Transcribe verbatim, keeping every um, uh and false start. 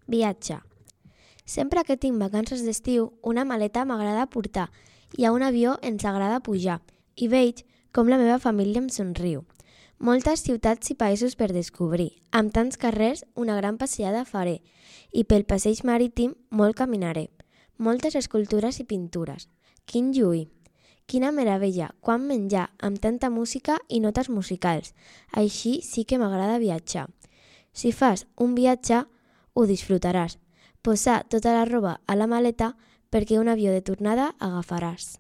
Viatge. Sempre que tinc vacances d'estiu, una maleta m'agrada portar i a un avió ens agrada pujar i veig com la meva família em somriu. Moltes ciutats i països per descobrir. Amb tants carrers, una gran passeada faré i pel passeig marítim molt caminaré. Moltes escultures i pintures. Quin lluir! Quina meravella! Quant menjar, amb tanta música i notes musicals. Així sí que m'agrada viatjar. Si fas un viatge, ho disfrutaràs. Posar tota la roba a la maleta perquè un avió de tornada agafaràs.